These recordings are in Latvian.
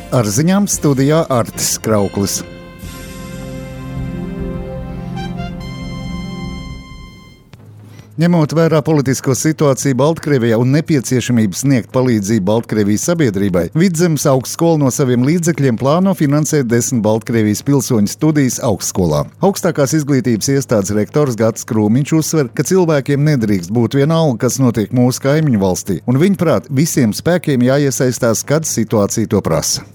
Ar ziņām studijā Artis Krauklis. Ņemot vērā politisko situāciju Baltkrievijā un nepieciešamību sniegt palīdzību Baltkrievijas sabiedrībai, Vidzemes augstskola no saviem līdzekļiem plāno finansēt 10 Baltkrievijas pilsoņu studijas augstskolā. Augstākās izglītības iestādes rektors Gatis Krūmiņš uzsver, ka cilvēkiem nedrīkst būt vienalga, kas notiek mūsu kaimiņu valstī, un viņuprāt, visiem spēkiem jāiesaistās, kad situācija to prasa.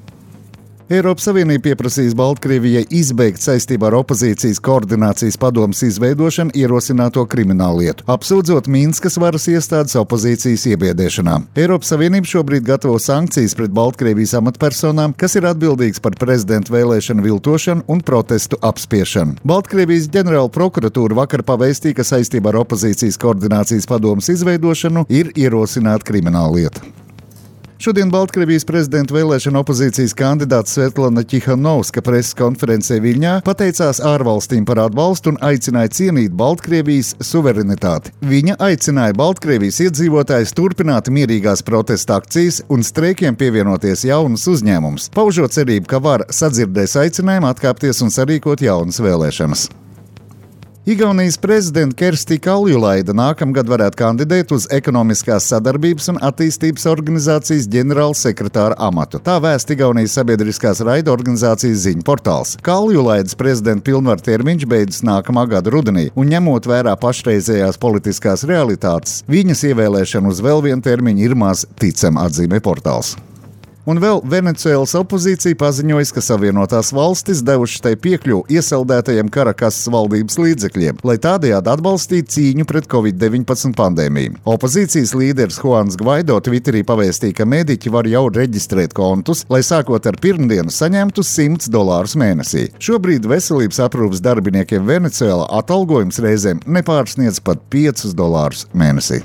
Eiropas Savienība pieprasīs Baltkrievijai izbeigt saistībā ar opozīcijas koordinācijas padomes izveidošanu ierosināto krimināllietu, apsūdzot Minskas varas iestādes opozīcijas iebiedēšanā. Eiropas Savienība šobrīd gatavo sankcijas pret Baltkrievijas amatpersonām, kas ir atbildīgas par prezidenta vēlēšanu viltošanu un protestu apspiešanu. Baltkrievijas ģenerāla prokuratūra vakar pavēstīja, ka saistībā ar opozīcijas koordinācijas padomes izveidošanu ir ierosināta krimināllieta. Šodien Baltkrievijas prezidenta vēlēšana opozīcijas kandidāts Svetlana Ķihanovska preses konferencē Viļņā pateicās ārvalstīm par atbalstu un aicināja cienīt Baltkrievijas suverenitāti. Viņa aicināja Baltkrievijas iedzīvotājus turpināt mierīgās protesta akcijas un streikiem pievienoties jaunus uzņēmumus, paužot cerību, ka vara sadzirdēs aicinājumu atkāpties un sarīkot jaunas vēlēšanas. Igaunijas prezidenta Kersti Kaljulaida nākamgad varētu kandidēt uz Ekonomiskās sadarbības un attīstības organizācijas ģenerāla sekretāra amatu. Tā vēsta Igaunijas sabiedriskās raida organizācijas ziņu portāls. Kaljulaidas prezidenta pilnvaru termiņš beidzas nākamā gada rudenī, un ņemot vērā pašreizējās politiskās realitātes, viņas ievēlēšana uz vēl vienu termiņu ir maz ticama, atzīmē portāls. Un vēl Venecuēlas opozīcija paziņojas, ka Savienotās valstis devušas tai piekļuvu iesaldētajiem Karakasas valdības līdzekļiem, lai tādējādi atbalstītu cīņu pret Covid-19 pandēmiju. Opozīcijas līderis Juans Gvaido Twitterī pavēstīja, ka mediķi var jau reģistrēt kontus, lai sākot ar pirmdienu saņemtu $100 mēnesī. Šobrīd veselības aprūpes darbiniekiem Venecuēlā atalgojums reizēm nepārsniedz pat $5 mēnesī.